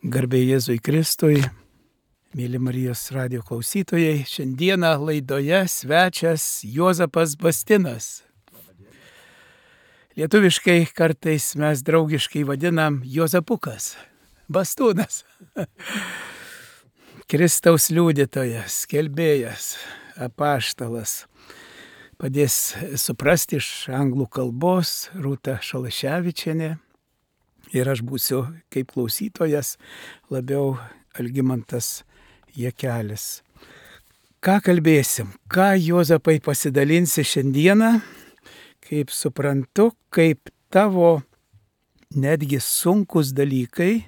Garbė Jėzui Kristui, mėly Marijos radijo klausytojai, šiandieną laidoje svečias Juozapas Bastinas. Lietuviškai kartais mes draugiškai vadinam Juozapukas, Bastūnas. Kristaus liudytojas, skelbėjas, apaštalas. Padės suprasti iš anglų kalbos Rūta Šalaševičienė. Ir aš būsiu kaip klausytojas labiau Algimantas Jakelis. Ką kalbėsim? Ką Juozapai pasidalinsi šiandieną? Kaip suprantu, kaip tavo netgi sunkus dalykai,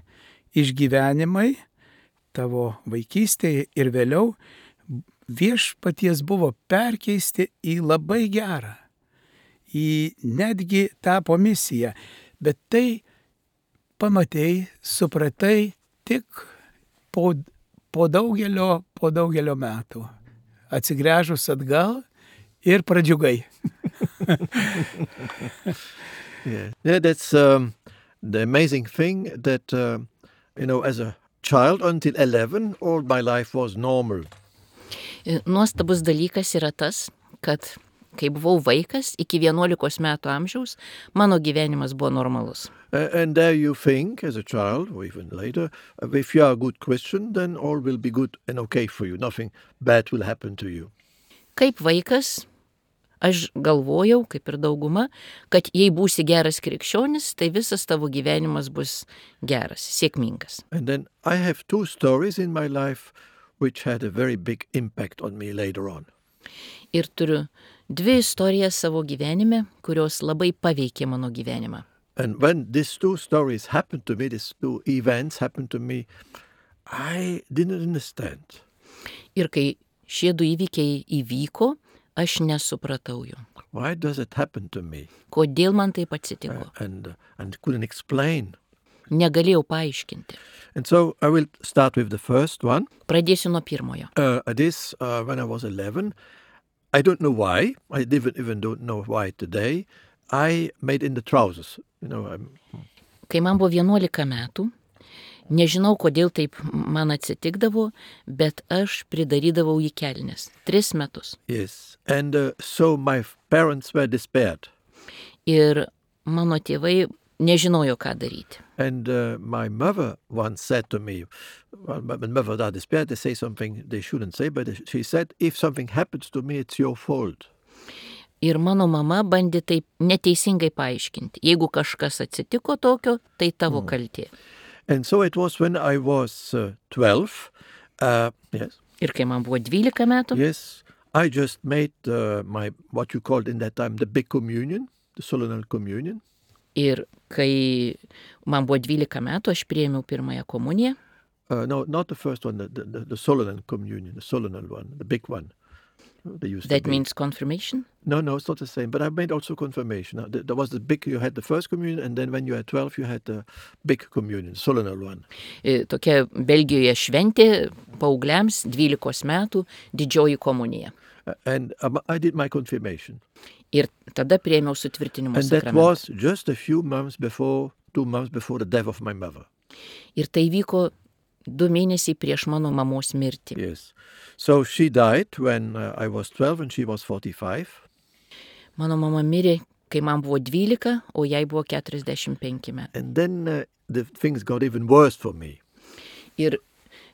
išgyvenimai, tavo vaikystėje ir vėliau viešpaties buvo perkeisti į labai gerą. Į netgi tapo misiją. Bet tai pamatei, supratai tik po daugelio metų. Atsigręžus atgal ir pradžiugai. Yeah, that's the amazing thing that, as a child until 11, all my life was normal. Nuostabus dalykas yra tas, kad kai buvau vaikas, iki 11 metų amžiaus, mano gyvenimas buvo normalus. And there you think, as a child, or even later, if you are a good Christian, then all will be good and okay for you. Nothing bad will happen to you. Kaip vaikas, aš galvojau, kaip ir dauguma, kad jei būsi geras krikščionis, tai visas tavo gyvenimas bus geras, sėkmingas. And then I have two stories in my life which had a very big impact on me later on. Ir turiu dvi istorijas savo gyvenime, kurios labai paveikė mano gyvenimą. And when these two stories happened to me, these two events happened to me, I didn't understand. Ir kai šie du įvykiai įvyko, aš nesupratau jų. Why does it happen to me? Kodėl man taip atsitiko? And couldn't explain. Negalėjau paaiškinti. And so I will start with the first one. Pradėsiu nuo pirmojo. This, when I was 11, I don't know why, I even don't know why today, I made in the trousers. Kai man buvo 11 metų, nežinau, kodėl taip man atsitikdavo, bet aš pridarydavau į kelnes. 3 metus. Yes, and so my parents were despaired. Ir mano tėvai nežinojo, ką daryti. And my mother once said to me, well, when mothers are despaired, they say something they shouldn't say, but she said, if something happens to me, it's your fault. Ir mano mama bandė taip neteisingai paaiškinti. Jeigu kažkas atsitiko tokio, tai tavo kaltė. And so it was when I was 12, yes. Ir kai man buvo 12 metų, Yes, I just made what you called in that time the big communion, the solemn communion. ir kai man buvo 12 metų, aš priėmiau pirmąją komuniją. No, not the first one, the solemn communion, the solemn one, the big one. They used That to be. means confirmation. No, it's not the same. But I made also confirmation. There was the big, you had the first communion, and then when you had 12, you had the big communion, solemn one. Tokia Belgijoje šventė paaugliams 12 metų didžioji komunija. And I did my confirmation. Ir tada priėmiau sutvirtinimo And that sakramentą. was just a few months before, 2 months before the death of my mother. Ir tai vyko 2 mėnesiai prieš mano mamos mirtį. Yes. So she died when I was 12 and she was 45. Mano mama mirė, kai man buvo 12, o jai buvo 45 metų. And then the things got even worse for me. Ir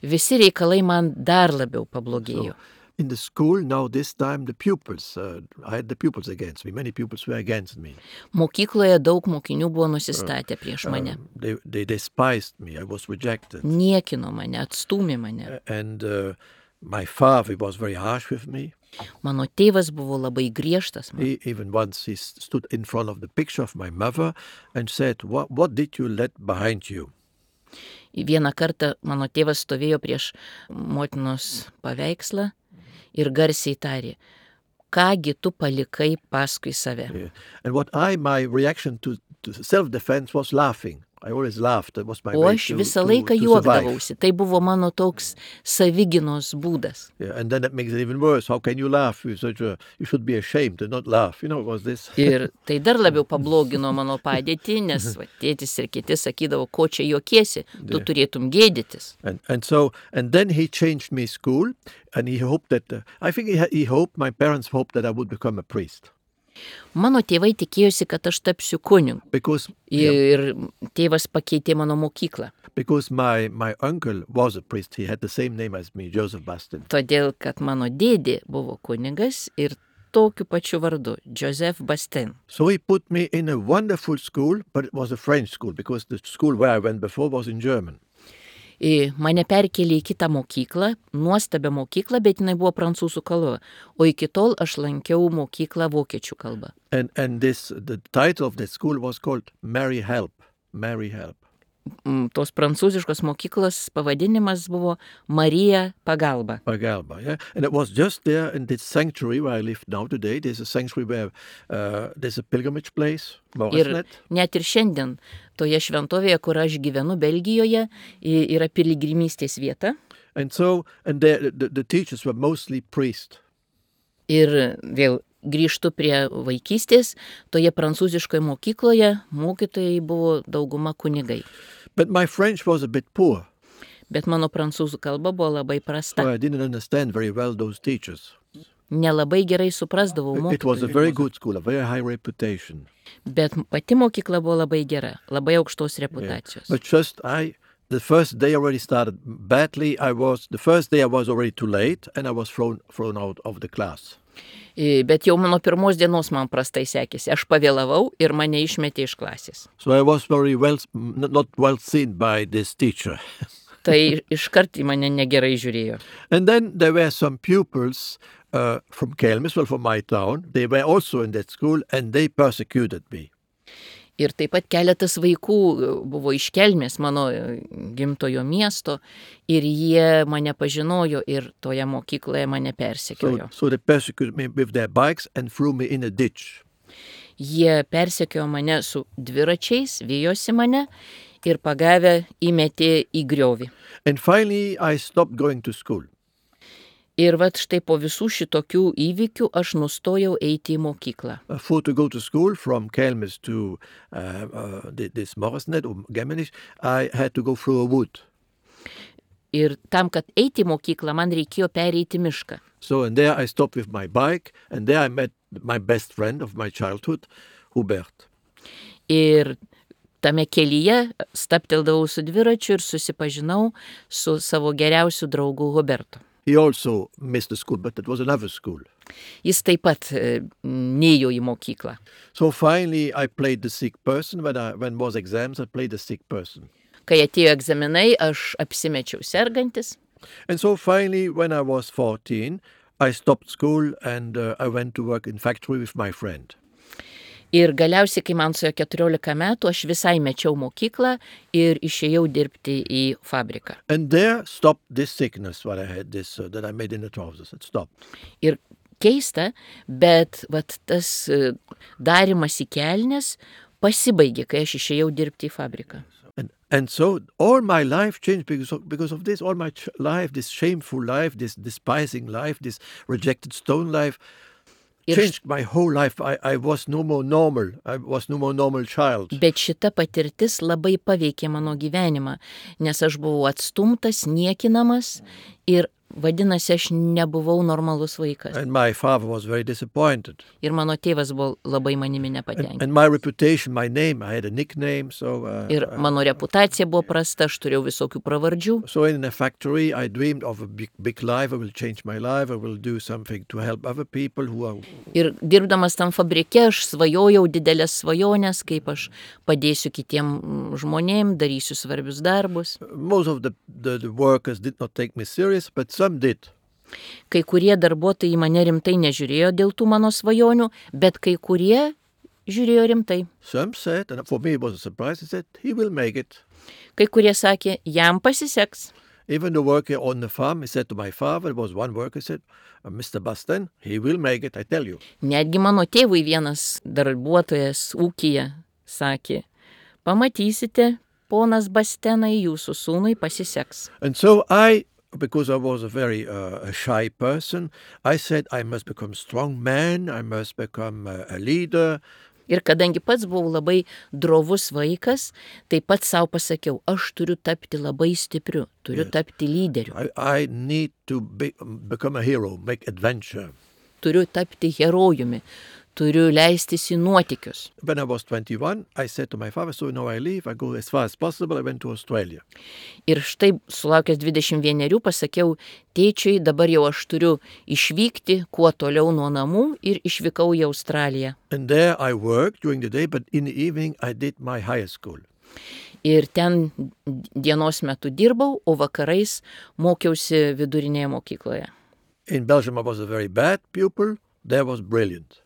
visi reikalai man dar labiau pablogėjo. In the school, now this time, the pupils, I had the pupils against me. Many pupils were against me. Mokykloje daug mokinių buvo nusistatę prieš mane. They despised me. I was rejected. Niekino mane, atstūmė mane. And my father was very harsh with me. Mano tėvas buvo labai griežtas. Even once he stood in front of the picture of my mother and said, what did you let behind you? Vieną kartą mano tėvas stovėjo prieš motinos paveikslą ir garsiai tarė, kągi tu palikai paskui save. Yeah. And my reaction to self-defense was laughing. I always laughed. That was my O way aš to visą laiką survive. juokdavausi. Tai buvo mano toks savigynos būdas. Yeah, and then that makes it even worse. How can you laugh? You should be ashamed and not laugh. You know, it was this. Ir tai dar labiau pablogino mano padėtį, nes va, tėtis ir kiti sakydavo, ko čia juokiesi, tu turėtum gėdytis. And then he changed me school, and he hoped that, I think my parents hoped that I would become a priest. Mano tėvai tikėjosi, kad aš tapsiu kunigu. Ir tėvas pakeitė mano mokyklą. Because my uncle was a priest. He had the same name as me, Joseph Bastin. Todėl, kad mano dėdė buvo kunigas ir tokiu pačiu vardu, Joseph Bastin. So he put me in a wonderful school, but it was a French school, because the school where I went before was in German. Mane perkelė į kitą mokyklą, nuostabią mokyklą, bet jinai buvo prancūzų kalba. O iki tol aš lankiau mokyklą vokiečių kalbą. And the title of the school was called Mary Help. Mary Help. Tos prancūziškos mokyklos pavadinimas buvo Marija Pagalba. Pagalba, yeah. And it was just there in this sanctuary where I live now today. There's a sanctuary where there's a pilgrimage place. Ir net ir šiandien toje šventovėje, kur aš gyvenu Belgijoje, yra piligrimystės vieta. And the teachers were mostly priests. Ir vėl grįžtu prie vaikystės, toje prancūziškoje mokykloje mokytojai buvo dauguma kunigai. But my French was a bit poor. Bet mano prancūzų kalba buvo labai prasta. So I didn't understand very well those teachers. Nelabai gerai suprasdavau mokytojus. It was a very good school, a very high reputation. Bet pati mokykla buvo labai gera, labai aukštos reputacijos. Yeah. But the first day already started badly. The first day I was already too late, and I was thrown out of the class. Bet jau mano pirmos dienos man prastai sekėsi. Aš pavėlavau ir mane išmetė iš klasės. So I was not well seen by this teacher. Tai iškart į mane negerai žiūrėjo. And then there were some pupils from Kelmis, from my town. They were also in that school, and they persecuted me. Ir taip pat keletas vaikų buvo iš Kelmės, mano gimtojo miesto, ir jie mane pažinojo ir toje mokykloje mane persekiojo. So they persecuted me with their bikes and threw me in a ditch. Jie persekiojo mane su dviračiais, vijosi mane ir pagavę įmetė į griovį. And finally I stopped going to school. Ir vat štai po visų šitokių įvykių aš nustojau eiti į mokyklą. For to go to school from Kelmis to this Moresnet or Gemmenich, I had to go through a wood. Ir tam, kad eiti į mokyklą, man reikėjo pereiti mišką. So and there I stopped with my bike, and there I met my best friend of my childhood, Hubert. Ir tame kelyje stabteldavau su dviračiu ir susipažinau su savo geriausiu draugu Hubertu. He also missed the school, but it was another school. Jis taip pat neėjo į mokyklą. So finally I played the sick person. When was exams, I played the sick person. Kai atėjo egzaminai, aš apsimečiau sergantis. And so finally, when I was 14, I stopped school and I went to work in factory with my friend. Ir galiausiai, kai man suėjo 14 metų, aš visai mečiau mokyklą ir išėjau dirbti į fabriką. And there stopped this sickness, what I had, that I made in the trousers. It stopped. Ir keista, bet vat, tas darimas į kelnes pasibaigė, kai aš išėjau dirbti į fabriką. And so all my life changed because of this. All my life, this shameful life, this despising life, this rejected stone life, changed my whole life. I was no more normal. I was no more normal child. Bet šita patirtis labai paveikė mano gyvenimą, nes aš buvau atstumtas, niekinamas ir vadinasi, aš nebuvau normalus vaikas. And my father was very disappointed. Ir mano tėvas buvo labai manimi nepatenkintas. And my reputation, my name, I had a nickname, so... Ir mano reputacija buvo prasta, aš turėjau visokių pravardžių. So in a factory, I dreamed of a big life. I will change my life. I will do something to help other people who are... Ir dirbdamas tam fabrike, aš svajojau didelės svajonės, kaip aš padėsiu kitiem žmonėm, darysiu svarbius darbus. Most of the workers did not take me serious, but some did. Kai kurie darbuotojai mane rimtai nežiūrėjo dėl tų mano svajonių, bet kai kurie žiūrėjo rimtai. Some said, and for me it was a surprise, they said, he will make it. Kai kurie sakė, jam pasiseks. Even the worker on the farm, he said to my father, there was one worker, he said, Mr. Bastin, he will make it, I tell you. Netgi mano tėvui vienas darbuotojas ūkyje sakė, pamatysite, ponas Bastenai, jūsų sūnui pasiseks. And so because I was a very a shy person, I said I must become a strong man, I must become a leader. Ir kadangi pats buvau labai drovus vaikas, tai pats savo pasakiau, aš turiu tapti labai stipriu, turiu tapti lyderiu, I need to become a hero, make adventure. turiu tapti herojumi, turiu leistis į nuotykius. When I was 21, I said to my father, so now I leave, I go as far as possible, I went to Australia. Ir štai sulaukęs 21 pasakiau, tėčiui, dabar jau aš turiu išvykti kuo toliau nuo namų ir išvykau į Australiją. And there I worked during the day, but in the evening I did my higher school. Ir ten dienos metu dirbau, o vakarais mokiausi vidurinėje mokykloje. In Belgium I was a very bad pupil, there was brilliant.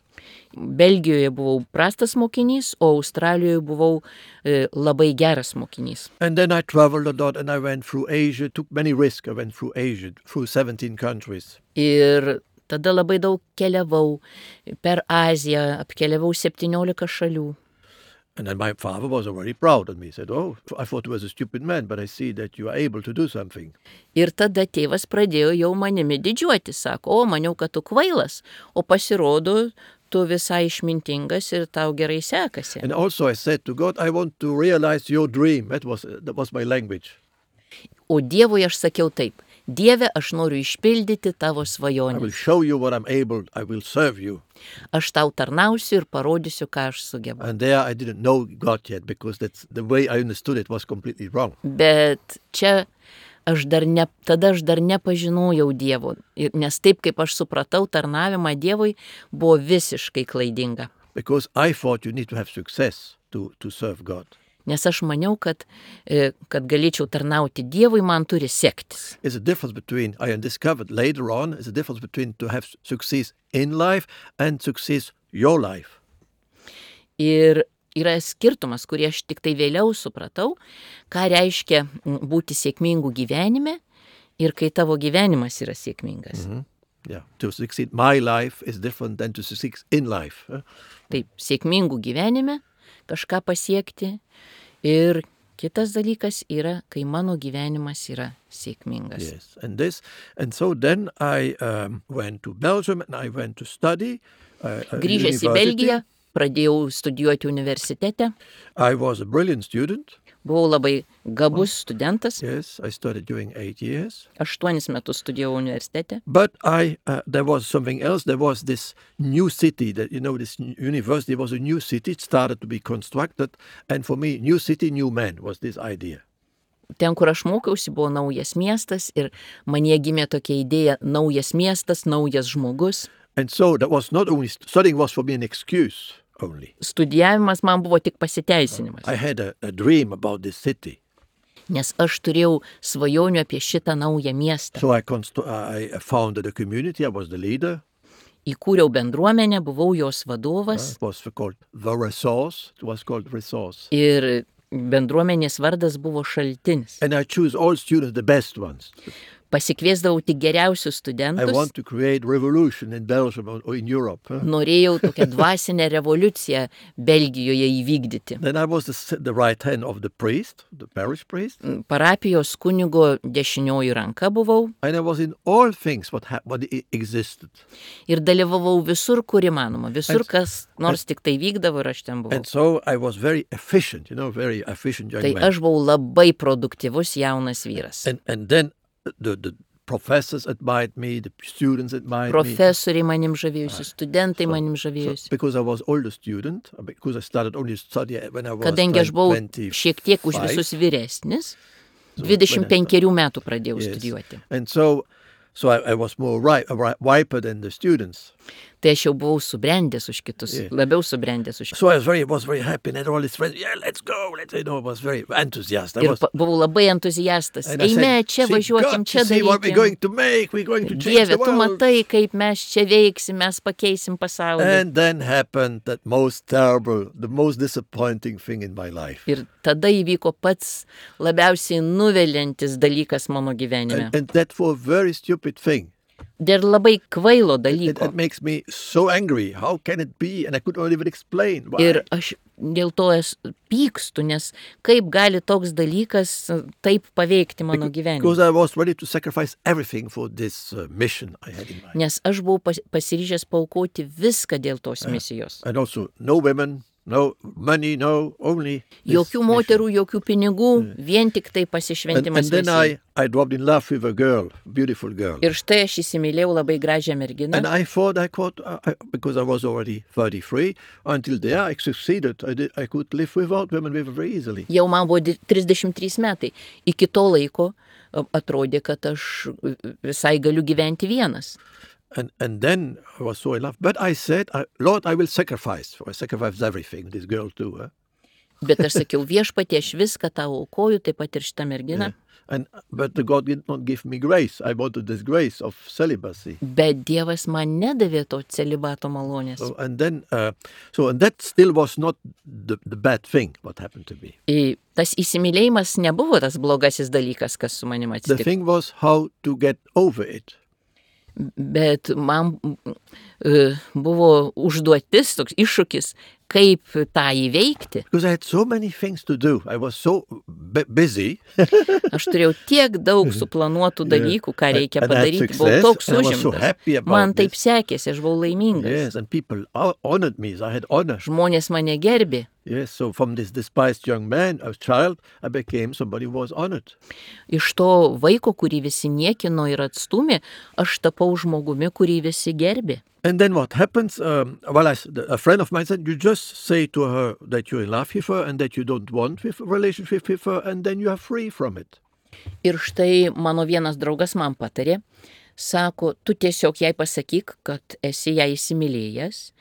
Belgijoje buvau prastas mokinys, o Australijoje buvau labai geras mokinys. And then I traveled a lot and I went through Asia, took many risks. I went through Asia, through 17 countries. Ir tada labai daug keliavau per Aziją, apkeliavau 17 šalių. And then my father was very proud of me. He said, oh, I thought you was a stupid man, but I see that you are able to do something. Ir tada tėvas pradėjo jau manimi didžiuoti, sako, o maniau, kad tu kvailas, o pasirodo, tu visai išmintingas ir tau gerai sekasi. And also I said to God, I want to realize your dream. That was my language. O Dievui aš sakiau taip, Dieve, aš noriu išpildyti tavo I svajonę. will show you what I'm able. I will serve you. Aš tau tarnausiu ir parodysiu, ką aš sugebu. And there I didn't know God yet because that's the way I understood it was completely wrong. Bet čia tada aš dar nepažinojau Dievo, nes taip kaip aš supratau tarnavimą Dievui, buvo visiškai klaidinga. Because I thought you need to have success to serve God. Nes aš maniau, kad galėčiau tarnauti Dievui, man turi sektis. It's a difference between, I discovered later on, it's a difference between to have success in life and success your life. Ir yra skirtumas, kurį aš tik tai vėliau supratau, ką reiškia būti sėkmingu gyvenime ir kai tavo gyvenimas yra sėkmingas. Yeah, to succeed my life is different than to succeed in life. Taip, sėkmingų gyvenime kažką pasiekti ir kitas dalykas yra, kai mano gyvenimas yra sėkmingas. Yes, and so then I went to Belgium and I went to study. Grįžęs į Belgiją, pradėjau studijuoti universitete. I was a brilliant student. Buvau labai gabus studentas. Yes, I studied during 8 years. 8 metus studijavau universitete. But there was something else. There was this new city that, this university was a new city. It started to be constructed. And for me, new city, new man was this idea. Ten, kur aš mokiausi, buvo naujas miestas ir manyje gimė tokia idėja, naujas miestas, naujas žmogus. And so that was not only, studying was for me an excuse only. Studijavimas man buvo tik pasiteisinimas. I had a dream about this city. Nes aš turėjau svajonių apie šitą naują miestą. So I founded a community, I was the leader. Įkūriau bendruomenę, buvau jos vadovas. It was called The Resource. It was called Resource. Ir bendruomenės vardas buvo Šaltinis. And I choose all students, the best ones. Pasikviesdavau tik geriausius studentus. I want to create revolution in Belgium or in Europe. Norėjau tokią dvasinę revoliuciją Belgijoje įvykdyti. Then I was the right hand of the priest, the parish priest. Parapijos kunigo dešinioji ranka buvau. And I was in all things what existed. Ir dalyvavau visur, kur įmanoma. Visur, kas nors tik tai vykdavo ir aš ten buvau. And so I was very efficient, very efficient young man. Tai aš buvau labai produktyvus jaunas vyras. And then the professors admired me, the students admired me. Profesoriai manim žavėjusi, studentai manim žavėjusi. Because I was older student, because I started only study when I was 25. Kadangi aš buvau šiek tiek už visus vyresnis, 25 metų pradėjau studijuoti. And so I was more riper than the students. Tai aš jau buvau subrendęs už kitus, labiau subrendęs už kitus. So I was very happy and had all these friends, let's go, I was very enthusiastic. Ir buvau labai entuziastas. Eime, čia važiuokim, čia darykim. Dieve, tu matai, kaip mes čia veiksim, mes pakeisim pasaulį. And then happened that most terrible, the most disappointing thing in my life. Ir tada įvyko pats labiausiai nuviliantis dalykas mano gyvenime. And that for a very stupid thing. dėl labai kvailo It dalyko. makes me so angry. How can it be? And I could not even explain why. Ir aš dėl to pykstu, nes kaip gali toks dalykas taip paveikti mano Because gyvenimą. I was ready to sacrifice everything for this mission I had in mind. Nes aš buvau pasiryžęs paaukoti viską dėl tos misijos. And also, no women, no money, no, only this Jokių mission. moterų, jokių pinigų, vien tik tai And pasišventimas then misijai. I dropped in love with a girl, beautiful girl. Ir štai aš įsimylėjau labai gražią merginą. And I thought because I was already 33, until there I succeeded. I could live without women very easily. Jau man buvo 33 metai. Iki to laiko atrodė, kad aš visai galiu gyventi vienas. And then I was so in love. But I said, Lord, I will sacrifice. I sacrificed everything, this girl too. Bet aš sakiau, viešpatie, aš viską tau aukoju, taip pat ir šitą merginą. But God did not give me grace. I wanted this grace of celibacy. Bet Dievas man nedavė to celibato malonės. And that still was not the bad thing, what happened to me. Tas įsimylėjimas nebuvo tas blogasis dalykas, kas su manim The atsitiko. thing was how to get over it. Bet man buvo užduotis, toks iššūkis, kaip tą įveikti. Because I had so many things to do. I was so busy. Aš turėjau tiek daug suplanuotų dalykų, ką reikia And I had padaryti. Buvau success, toks and I was so užimtas. happy about Man taip this. sekėsi, aš buvau laimingas. Yes, and people honored me. I had honor. Žmonės mane gerbė. Yes, so from this despised young man, a child, I became somebody who was honored. Iš to vaiko, kurį visi niekino ir atstumė, aš tapau žmogumi, kurį visi gerbė. And then what happens? A friend of mine said, you just say to her that you're in love with her and that you don't want a relationship with her, and then you are free from it. Ir štai mano vienas draugas man patarė, sako, tu tiesiog jai pasakyk, kad esi ją įsimylėjęs,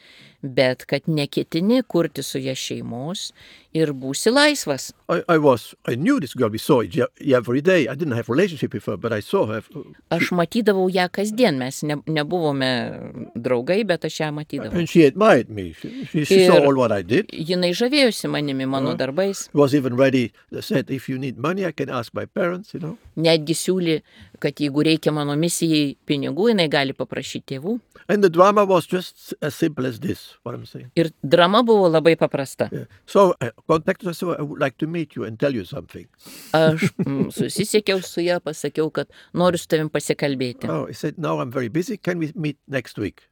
bet kad neketini kurti su ją šeimos ir būsi laisvas. I knew this girl. We saw it every day. I didn't have a relationship with her, but I saw her. Aš matydavau ją kasdien, mes nebuvome draugai, bet aš ją matydavau. And she admired me. She saw all what I did. Jinai žavėjosi manimi, mano darbais. Was even ready. Said, if you need money, I can ask my parents, Netgi siūlė, kad jeigu reikia mano misijai pinigų, jinai gali paprašyti tėvų. And the drama was just as simple as this, what I'm saying. Ir drama buvo labai paprasta. Yeah. So I contacted her, so I would like to meet you and tell you something. Aš susisiekiau su ją, pasakiau, kad noriu su tavim pasikalbėti. Oh, he said, no, I'm very busy. Can we meet next week?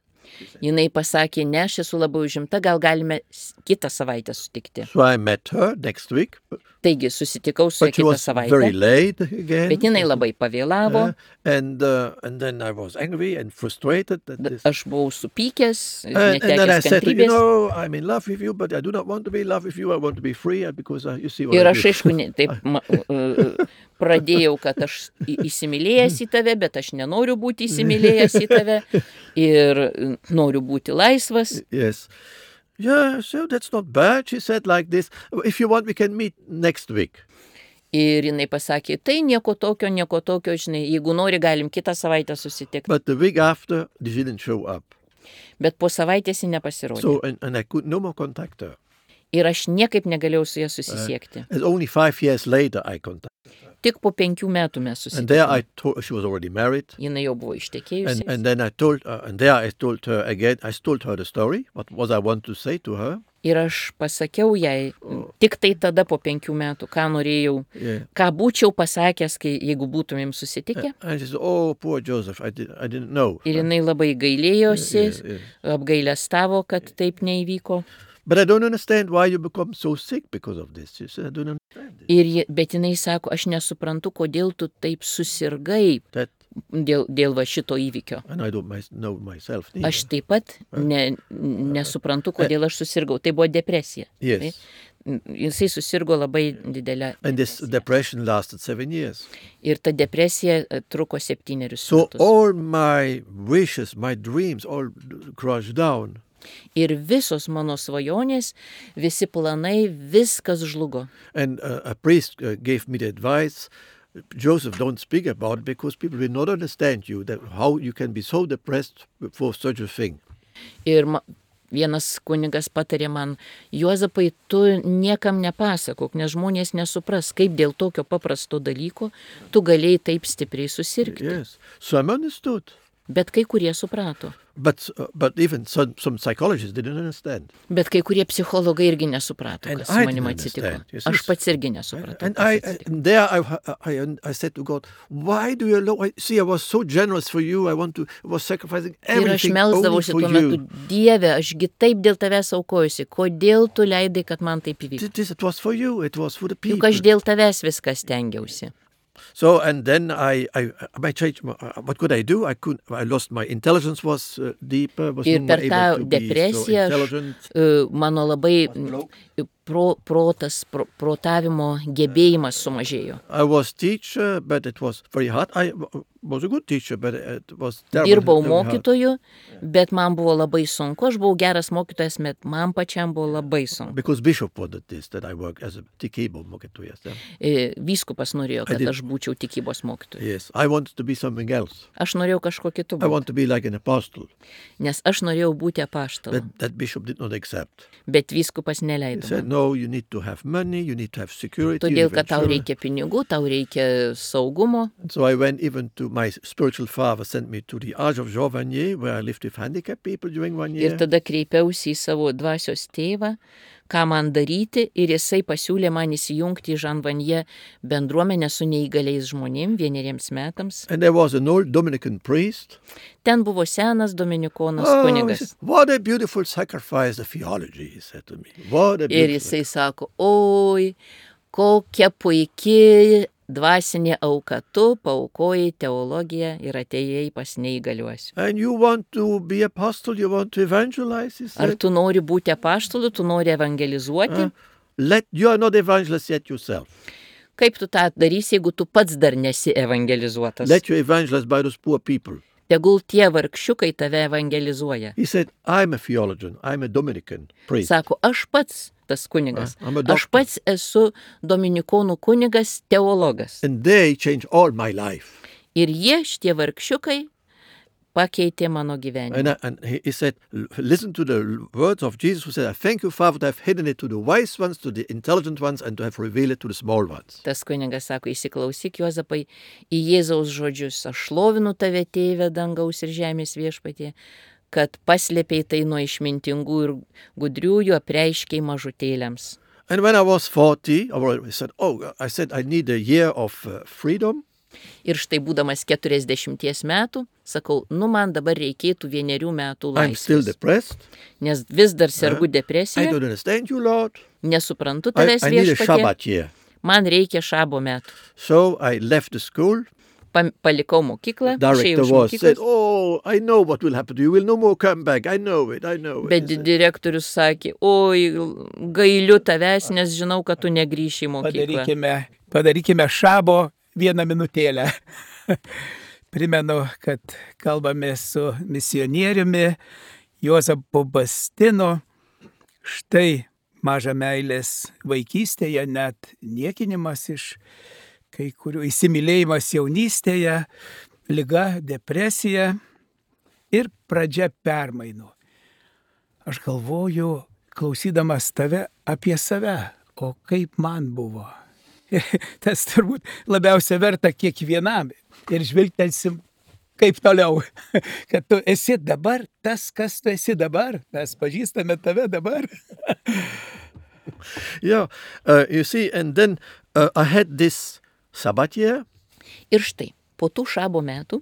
Jinai pasakė, ne, aš esu labai užimta, gal galime kitą savaitę sutikti. So I met her next week. Taigi susitikau su ją But she kitą was very savaitę, late again. bet jinai labai pavėlavo. And then I was angry and frustrated. Aš buvau supykęs, And then I netekęs said, kantrybės. I'm in love with you, but I do not want to be in love with you. I want to be free because you see what Ir I aš, do. aišku, taip pradėjau, kad aš įsimylėjęs į tave, bet aš nenoriu būti įsimylėjęs į tave ir noriu būti laisvas. Yes. Yeah, so that's not bad. She said like this, if you want, we can meet next week. Ir jinai pasakė, tai nieko tokio, žinai, jeigu nori, galim kitą savaitę susitikti. But the week after, she didn't show up. Bet po savaitės ji nepasirodė. So, and I could no more contact her. Ir aš niekaip negalėjau su ja susisiekti. And only 5 years later, I contacted. Tik po 5 metų mes And there susitikome. I told she was already married. Jinai jau buvo ištekėjusi. And then I told her again, I told her the story, what was I want to say to her. Ir aš pasakiau jai, tik tai tada po 5 metų, ką norėjau, Yeah. ką būčiau pasakęs, jeigu būtumėm susitikę. And she said, oh, poor Joseph, I didn't know. Ir jinai labai gailėjosi, Yeah. apgailestavo, kad taip neįvyko. But I don't understand why you become so sick because of this. She said, I don't understand it. Bet jinai sako, aš nesuprantu, kodėl tu taip susirgai That, dėl va šito įvykio. and I don't know myself neither. Aš taip pat nesuprantu, kodėl aš susirgau. Tai buvo depresija. Yes. Jisai susirgo labai didelę. And this depression lasted 7 years. Ir ta depresija truko 7 So metus. all my wishes, my dreams, all crushed down. Ir visos mano svajonės, visi planai, viskas žlugo. And a priest gave me the advice, Joseph, don't speak about it because people will not understand you, that how you can be so depressed for such a thing. Ir vienas kunigas patarė man, Juozapai, tu niekam nepasakok, nes žmonės nesupras, kaip dėl tokio paprasto dalyko tu galėjai taip stipriai susirgti. Yes. So I understood. Bet kai kurie suprato. But even some psychologists didn't understand. Bet kai kurie psichologai irgi nesuprato, And kas I su manim didn't atsitiko. understand, you see. Aš pats irgi nesupratau. And kas I atsitiko. and there I said to God, why do you allow? See, I was so generous for you. I was sacrificing Ir aš everything only melsdavausi for tuo metu, you. Dieve, ašgi taip dėl tavęs aukojusi, kodėl tu leidai, kad man taip įvyktų? It was for you. It was for the people. Juk aš dėl tavęs viską stengiausi. So and then I changed. What could I do? I lost my intelligence was deeper. Was Ir not per able tą to be so depresiją intelligent. Mano labai protavimo gebėjimas sumažėjo. I was teacher, but it was very hard. I was a good teacher, but it was terrible. Dirbau very hard. mokytoju, bet man buvo labai sunku. Aš buvau geras mokytojas, bet man pačiam buvo labai sunku. Because Bishop wanted this, that I work as a tikybos mokytojas. Vyskupas norėjo, kad aš būčiau tikybos mokytoju. Yes, I wanted to be something else. Aš norėjau kažko kitu I būti, want to be like an apostle. nes aš norėjau būti apaštalu. But that Bishop did not accept. Bet vyskupas He neleido said, man. no, you need to have money, you need to have security. you Todėl, need kad tau insurance." reikia pinigų, tau reikia saugumo. So I went even to my spiritual father, sent me to the Arch of Jean Vanier, where I lived with handicapped people during 1 year. Ir tada kreipiausi į savo dvasios tėvą, ką man daryti, ir jisai pasiūlė man įsijungti į Žanvanje bendruomenę su neįgaliais žmonėm 1 metams. And there was an old Dominican priest. Ten buvo senas dominikonas He kunigas. said, what a beautiful sacrifice of theology, he said to me. What a Ir beautiful jisai sako, oi, kokia puikiai dvasinė auka, tu paaukojai teologiją ir atėjai pas neįgaliuosius. And you want to be apostle, you want to evangelize, he Ar said. tu nori būti apaštalu, tu nori evangelizuoti? You are not evangelist yet yourself. Kaip tu tą darysi, jeigu tu pats dar nesi evangelizuotas? Let you evangelize by those poor people. Tegul tie vargšiukai tave evangelizuoja. He said, I'm a theologian, I'm a Dominican priest. Sako, aš pats tas kunigas. I'm a doctor. Aš pats esu dominikonų kunigas, teologas. And they changed all my life. Ir jie, šitie vargšiukai, pakeitė mano gyvenimą. And he said, listen to the words of Jesus who said, I thank you, Father, to have hidden it to the wise ones, to the intelligent ones, and to have revealed it to the small ones. Tas kunigas sako, įsiklausyk, Juozapai, į Jėzaus žodžius. Aš šlovinu tave, Tėve, dangaus ir žemės viešpatie, kad paslėpei tai nuo išmintingų ir gudriųjų, apreiškiai mažutėliams. And when I was 40, I said, I need a year of freedom. Ir štai būdamas 40 metų, sakau, man dabar reikėtų 1 metų I'm still laisvės. depressed. Nes vis dar sergu I depresiją, don't understand you, Lord. nesuprantu tavęs I need a viešpatie, Shabbat year. man reikia šabo metų. So I left the school. Palikau mokyklą, išėjau Director iš said, mokyklos, I know what will happen to you. You will no more come back. I know it. bet direktorius sakė, oi, gailiu tavęs, nes žinau, kad tu negrįši į mokyklą. Padarykime šabo 1 minutėlę. Primenu, kad kalbame su misionieriumi Juozapu Bastinu. Štai maža meilės vaikystėje, net niekinimas iš kai kurių, įsimylėjimas jaunystėje, liga, depresija ir pradžia permainų. Aš galvoju, klausydamas tave apie save, o kaip man buvo. Tas turbūt labiausia verta kiekvienam ir žvilgtelsim, kaip toliau, kad tu esi dabar tas, kas tu esi dabar, mes pažįstame tave dabar. Yeah, you see, and then I had this Sabbath year. Ir štai, po tų šabo metų,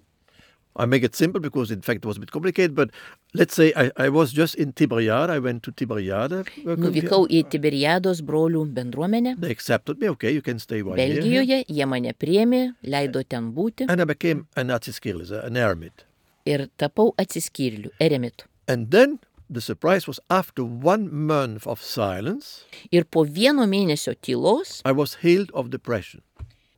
I make it simple because in fact it was a bit complicated, but let's say I was just in Tiberiade. I went to Tiberiade. nuvykau į Tiberiados brolių bendruomenę. They accepted me. Okay, you can stay 1 year. Belgijoje, jie mane priėmė, leido ten būti And I became an atsiskyrėlis, an eremit. ir tapau atsiskyrėliu, eremitu. And then the surprise was after 1 month of silence, Ir po 1 mėnesio tylos I was healed of depression.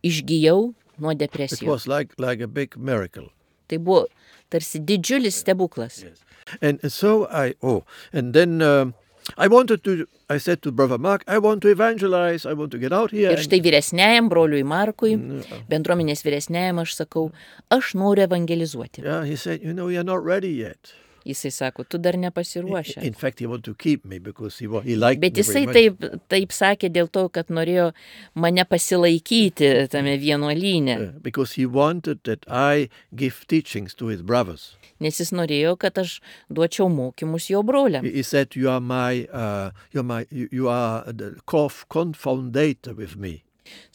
išgijau nuo It depresijos. was like a big miracle. Tai buvo tarsi didžiulis stebuklas. And so and then I said to Brother Mark, I want to evangelize, I want to get out here. Ir štai vyresniajam broliui Markui, bendruomenės vyresniajam aš sakau, aš noriu evangelizuoti. Yeah, he said, you're not ready yet. Jisai sako, tu dar nepasiruošęs. In fact, he wanted to keep me because he liked Bet me jisai very much. taip sakė dėl to, kad norėjo mane pasilaikyti tame vienuolyne. Because he wanted that I give teachings to his brothers. Nes jis norėjo, kad aš duočiau mokymus jo broliam. He said, you are the co-foundator with me.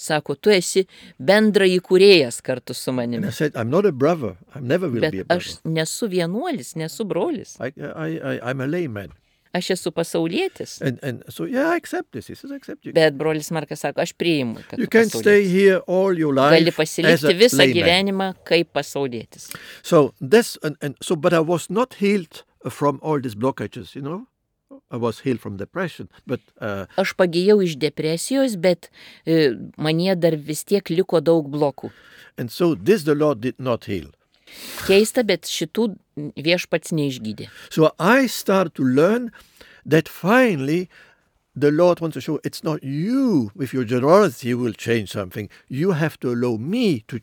Sako, tu esi bendra įkūrėjas kartu su And I manimi. said, I'm not a brother. I never will Bet be a brother. aš nesu vienuolis, nesu brolis. I'm a layman. Aš esu pasaulietis. And so, yeah, I accept this. He says, I accept you. Bet brolis Markas sako, aš priimu, kad You tu can stay pasaulietis. here all your Gali life as pasilikti a visą layman. gyvenimą kaip pasaulietis. So this, but I was not healed from all these blockages, you know. I was healed from depression, but Aš pagijau iš depresijos, bet manie dar vis tiek liko daug blokų. and so this the Lord did not heal. Keista, bet šitų viešpats neišgydė. So I started to learn that finally the Lord wants to show it's not you with your generosity who will change something. You have to allow me to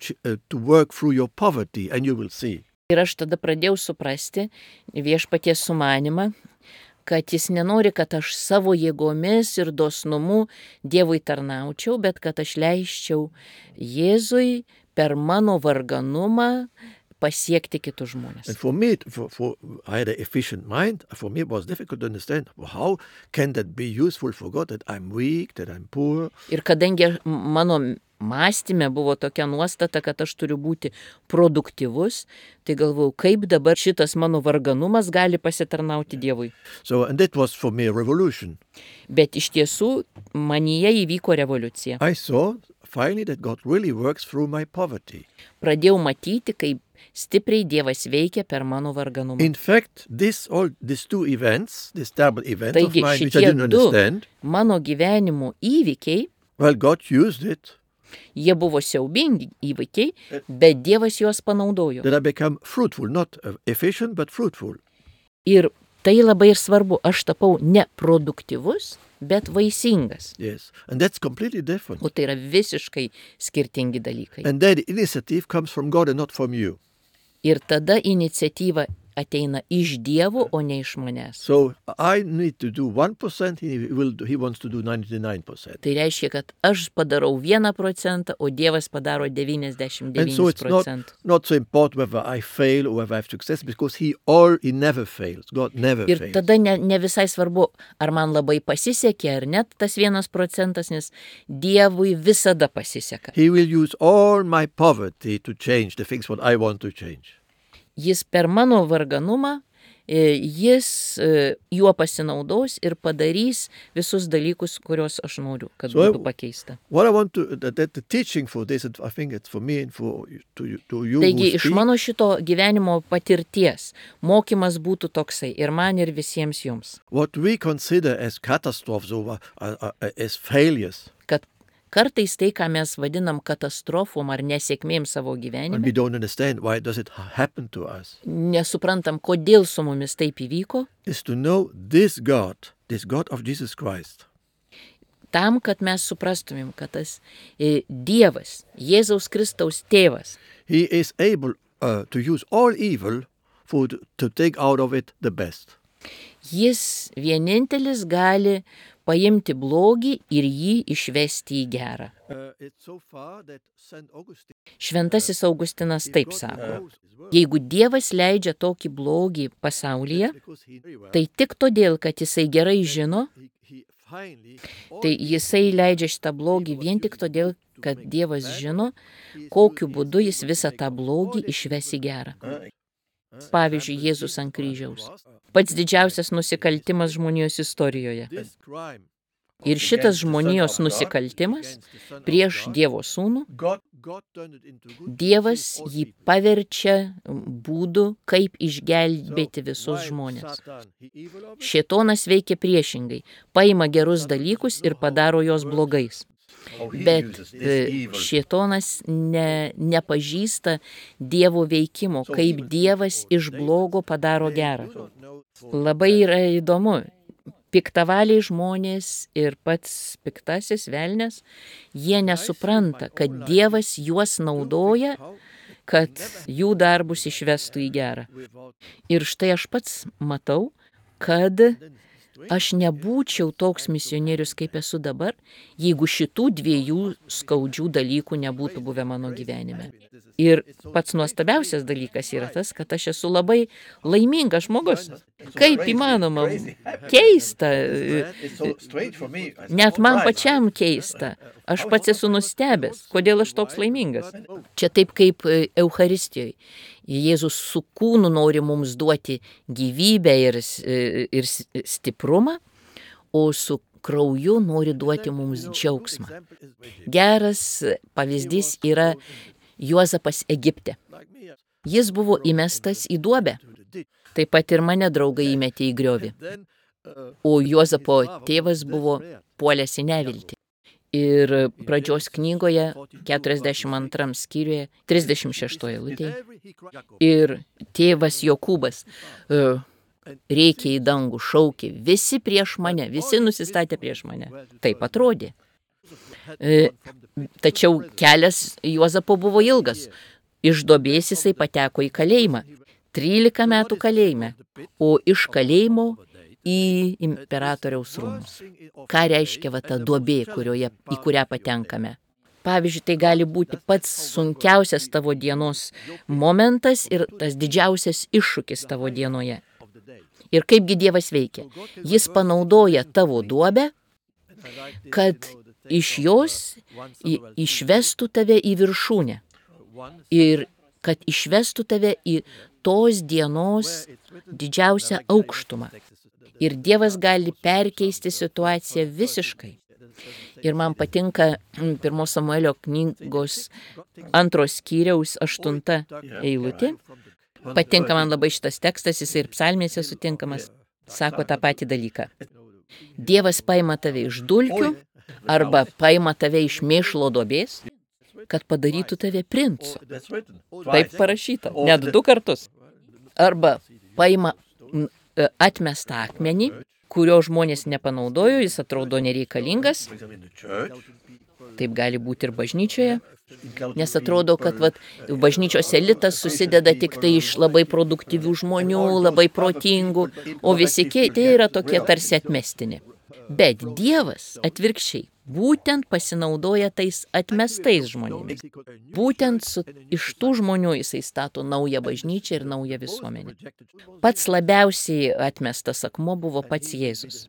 work through your poverty, and you will see. Ir aš tada pradėjau suprasti viešpaties sumanimą, kad jis nenori, kad aš savo jėgomis ir dosnumu Dievui tarnaučiau, bet kad aš leisčiau Jėzui per mano varganumą pasiekti kitus žmonės. And for me, I had an efficient mind. For me, it was difficult to understand how can that be useful for God, that I'm weak, that I'm poor. Ir kadangi mano mąstyme buvo tokia nuostata, kad aš turiu būti produktyvus, tai galvojau, kaip dabar šitas mano varganumas gali pasitarnauti Dievui. So, and that was for me a revolution. Bet iš tiesų manyje įvyko revoliucija. I saw finally that God really works through my poverty. Pradėjau matyti, kaip stipriai Dievas veikia per mano varganumą. In fact, these two events, this terrible event of Taigi mine, which I šitie didn't du understand, mano gyvenimo įvykiai, well, God used it, jie buvo siaubingi įvykiai, bet Dievas juos panaudojo. that I become fruitful, not efficient, but fruitful. Ir tai labai ir svarbu, aš tapau ne produktyvus, bet vaisingas. Yes, and that's completely different. O tai yra visiškai skirtingi dalykai. And that initiative comes from God and not from you. Ir tada iniciatyva ateina iš Dievo, o ne iš manęs. So I need to do 1%, he wants to do 99%. Tai reiškia, kad aš padarau 1%, o Dievas padaro 99%. And so it's not so important whether I fail or whether I have success, because he never fails. God never Ir fails. tada ne visai svarbu, ar man labai pasisekė, ar net tas 1%, nes Dievui visada pasiseka. He will use all my poverty to change the things what I want to change. Jis per mano varganumą, jis juo pasinaudos ir padarys visus dalykus, kuriuos aš noriu, kad būtų pakeista. What I want to, that the teaching for this, I think it's for me and for to you. Taigi iš mano šito gyvenimo patirties mokymas būtų toksai ir man ir visiems jums. What we consider as catastrophes or as failures. Kad kartais tai, ką mes vadinam katastrofom ar nesėkmėm savo And gyvenime, we don't understand why does it happen to us. nesuprantam, kodėl su mumis taip įvyko, Is to know this God of Jesus Christ. tam, kad mes suprastumėm, kad tas Dievas, Jėzaus Kristaus tėvas, He is able to use all evil to take out of it the best. jis vienintelis gali paimti blogį ir jį išvesti į gerą. It's so far that Saint Augustine, Šventasis Augustinas taip sako, jeigu Dievas leidžia tokį blogį pasaulyje, tai tik todėl, kad jisai gerai žino, tai jisai leidžia šitą blogį vien tik todėl, kad Dievas žino, kokiu būdu jis visą tą blogį išves į gerą. Pavyzdžiui, Jėzus ant kryžiaus. Pats didžiausias nusikaltimas žmonijos istorijoje. Ir šitas žmonijos nusikaltimas prieš Dievo sūnų, Dievas jį paverčia būdu, kaip išgelbėti visus žmonės. Šėtonas veikia priešingai, paima gerus dalykus ir padaro juos blogais. Bet šėtonas nepažįsta Dievo veikimo, kaip Dievas iš blogo padaro gerą. Labai yra įdomu. Piktavaliai žmonės ir pats piktasis velnias, jie nesupranta, kad Dievas juos naudoja kad jų darbus išvestų į gerą. Ir štai aš pats matau, kad aš nebūčiau toks misionierius, kaip esu dabar, jeigu šitų dviejų skaudžių dalykų nebūtų buvę mano gyvenime. Ir pats nuostabiausias dalykas yra tas, kad aš esu labai laimingas žmogus. Kaip įmanoma, keista, net man pačiam keista. Aš pats esu nustebęs, kodėl aš toks laimingas. Čia taip kaip Eucharistijoje. Jėzus su kūnu nori mums duoti gyvybę ir stiprumą, o su krauju nori duoti mums džiaugsmą. Geras pavyzdys yra Juozapas Egipte. Jis buvo įmestas į duobę. Taip pat ir mane draugai įmetė į griovį. O Juozapo tėvas buvo puolęs į neviltį. Ir pradžios knygoje, 42 skyriuje, 36 eilutėje. Ir tėvas Jokūbas rėkė į dangų, šaukė, visi prieš mane, visi nusistatė prieš mane. Taip atrodė. Tačiau kelias Juozapo buvo ilgas. Iš duobės jisai pateko į kalėjimą. 13 metų kalėjime, o iš kalėjimo į imperatoriaus rūmus. Ką reiškia ta duobė, į kurią patenkame? Pavyzdžiui, tai gali būti pats sunkiausias tavo dienos momentas ir tas didžiausias iššūkis tavo dienoje. Ir kaipgi Dievas veikia? Jis panaudoja tavo duobę, kad iš jos išvestų tave į viršūnę. Ir kad išvestų tave į tos dienos didžiausią aukštumą. Ir Dievas gali perkeisti situaciją visiškai. Ir man patinka 1 Samuelio knygos 2 skyriaus 8 eilutė. Patinka man labai šitas tekstas, jis ir psalmėse sutinkamas. Sako tą patį dalyką. Dievas paima tave iš dulkių arba paima tave iš mėšlo duobės, kad padarytų tave princu. Taip parašyta, net 2 kartus. Arba paima atmestą akmenį, kurio žmonės nepanaudojo, jis atrodo nereikalingas. Taip gali būti ir bažnyčioje, nes atrodo, kad bažnyčios elitas susideda tik tai iš labai produktyvių žmonių, labai protingų, o visi kiti yra tokie tarsi atmestini. Bet Dievas atvirkščiai būtent pasinaudoja tais atmestais žmonėmis. Būtent iš tų žmonių jisai stato naują bažnyčią ir naują visuomenę. Pats labiausiai atmestas akmuo buvo pats Jėzus.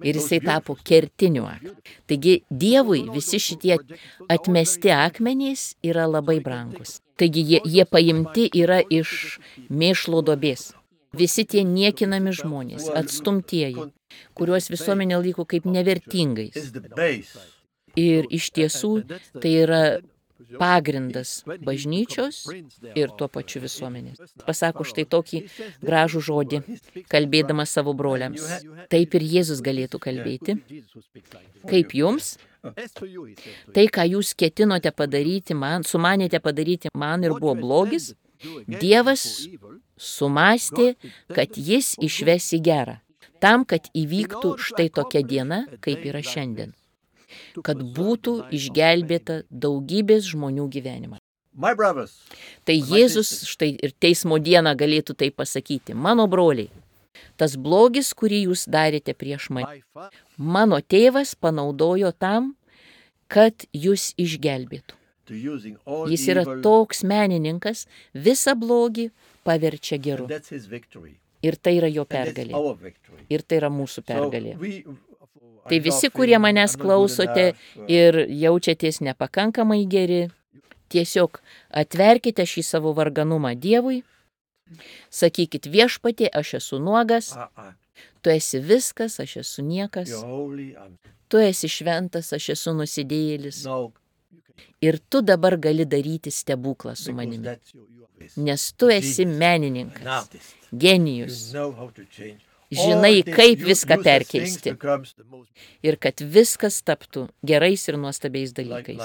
Ir jisai tapo kertiniu akmeniu. Taigi Dievui visi šitie atmesti akmenys yra labai brangus. Taigi jie paimti yra iš mėšlo duobės. Visi tie niekinami žmonės, atstumtieji, kuriuos visuomenė laiko kaip nevertingais. Ir iš tiesų tai yra pagrindas bažnyčios ir tuo pačiu visuomenės. Pasako štai tokį gražų žodį, kalbėdamas savo broliams. Taip ir Jėzus galėtų kalbėti. Kaip jums? Tai, ką jūs ketinote padaryti man, sumanėte padaryti man ir buvo blogis, Dievas sumastė, kad jis išves į gerą. Tam, kad įvyktų štai tokia diena, kaip yra šiandien. Kad būtų išgelbėta daugybės žmonių gyvenimą. Tai Jėzus štai ir teismo dieną galėtų tai pasakyti. Mano broliai, tas blogis, kurį jūs darėte prieš mane, mano tėvas panaudojo tam, kad jūs išgelbėtų. Jis yra toks menininkas, visą blogį paverčia geru. Ir tai yra jo pergalė. Ir tai yra mūsų pergalė. Tai visi, kurie manęs klausote ir jaučiatės nepakankamai geri, tiesiog atverkite šį savo varganumą Dievui, sakykit viešpatie, aš esu nuogas, tu esi viskas, aš esu niekas, tu esi šventas, aš esu nusidėjėlis. Ir tu dabar gali daryti stebuklą su manimi, nes tu esi menininkas, genijus. Žinai, kaip viską perkeisti ir kad viskas taptų gerais ir nuostabiais dalykais.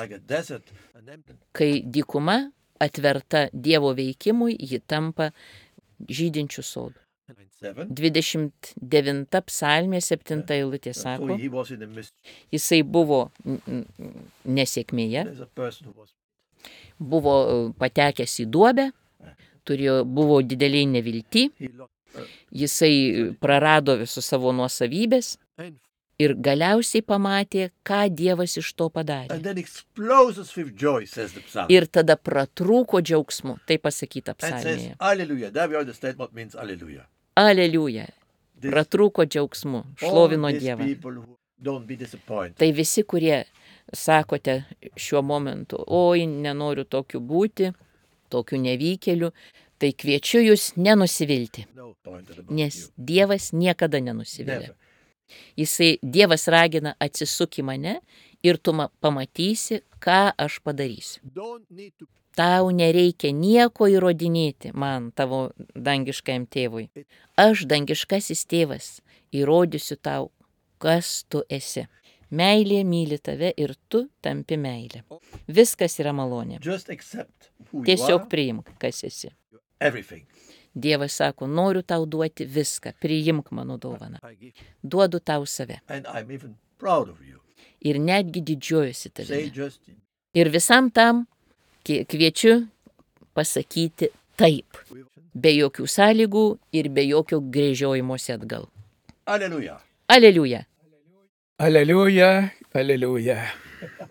Kai dykuma atverta Dievo veikimui, ji tampa žydinčių sodų. 29 psalmė 7 eilutė sako, jisai buvo nesėkmėje buvo patekęs į duobę, buvo dideliai nevilti, jisai prarado visus savo nuosavybės ir galiausiai pamatė, ką Dievas iš to padarė. Ir tada pratrūko džiaugsmu, tai pasakyta psalmėje. Aleliuja. Pratrūko džiaugsmu, šlovino Dievą. Tai visi, kurie sakote šiuo momentu, oi, nenoriu tokiu būti, tokiu nevykėliu, tai kviečiu jūs nenusivilti, nes Dievas niekada nenusivilia. Dievas ragina atsisuk į mane ir tu pamatysi, ką aš padarysiu. Tau nereikia nieko įrodinėti man, tavo dangiškajam tėvui. Aš, dangiškasis tėvas, įrodysiu tau, kas tu esi. Meilė myli tave ir tu tampi meilė. Viskas yra malonė. Tiesiog priimk, kas esi. Dievas sako, noriu tau duoti viską, priimk mano dovaną. Duodu tau save. Ir netgi didžiuojuosi tavimi. Ir visam tam kviečiu pasakyti taip, be jokių sąlygų ir be jokio gręžiojimosi atgal. Aleliuja. Aleliuja. Aleliuja, aleliuja.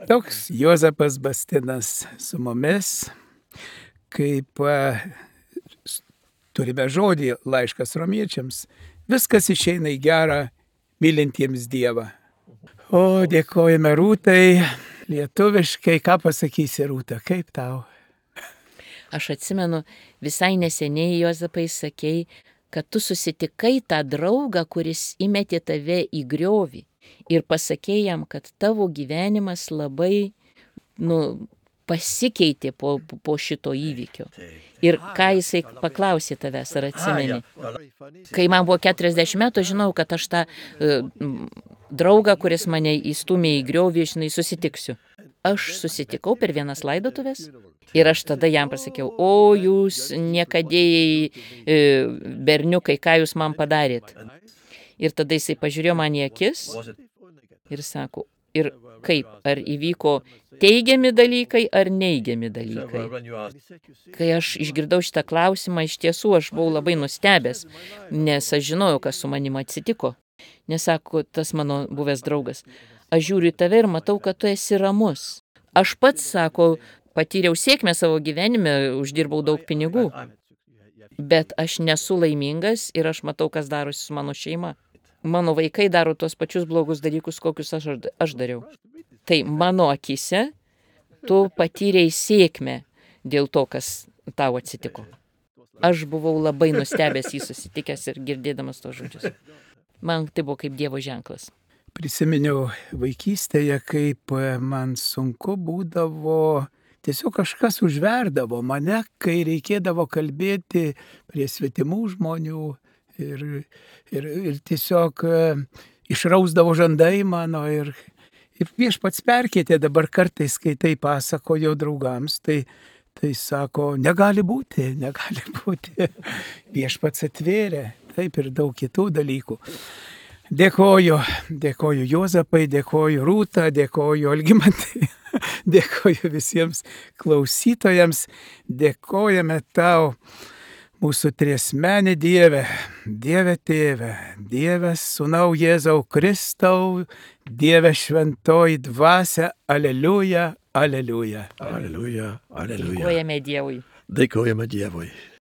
Toks Juozapas Bastinas su mumis, kaip turime žodį laiškas romiečiams, viskas išeina į gerą mylintiems Dievą. O, dėkojame Rūtai, lietuviškai, ką pasakysi Rūta, kaip tau? Aš atsimenu, visai neseniai Juozapai sakei, kad tu susitikai tą draugą, kuris įmetė tave į griovį ir pasakei jam, kad tavo gyvenimas labai pasikeitė po šito įvykio. Ir ką jisai paklausė tavęs, ar atsimeni? Kai man buvo 40 metų, žinau, kad aš tą draugą, kuris mane įstumė į griovį, susitiksiu. Aš susitikau per vienas laidotuvės ir aš tada jam pasakiau, o jūs niekadėjai berniukai, ką jūs man padarėt? Ir tada jisai pažiūrėjo man į akis ir sako, ir kaip, ar įvyko teigiami dalykai ar neigiami dalykai. Kai aš išgirdau šitą klausimą, iš tiesų aš buvau labai nustebęs, nes aš žinojau, kas su manim atsitiko. Nes sako, tas mano buvęs draugas, aš žiūriu į tave ir matau, kad tu esi ramus. Aš pats, sako, patyriau sėkmę savo gyvenime, uždirbau daug pinigų, bet aš nesu laimingas ir aš matau, kas darosi su mano šeima. Mano vaikai daro tos pačius blogus dalykus, kokius aš dariau. Tai mano akise tu patyrei sėkmę dėl to, kas tau atsitiko. Aš buvau labai nustebęs jį susitikęs ir girdėdamas tos žodžius. Man tai buvo kaip Dievo ženklas. Prisiminiau vaikystėje, kaip man sunku būdavo, tiesiog kažkas užverdavo mane, kai reikėdavo kalbėti prie svetimų žmonių. Ir tiesiog išrausdavo žandai mano ir Viešpats perkeitė dabar kartais, kai tai pasakojo draugams, tai sako, negali būti. Viešpats atvėrė, taip ir daug kitų dalykų. Dėkoju Juozapai, dėkoju Rūta, dėkoju Algimantai, dėkoju visiems klausytojams, dėkojame tau. Mūsų triesmenį Dieve, Dieve Tėve, Dieve Sūnau Jėzau Kristau, Dieve Šventoji Dvasia, aleliuja, aleliuja. Aleliuja, aleliuja. Dėkojame Dievui. Dėkojame Dievui.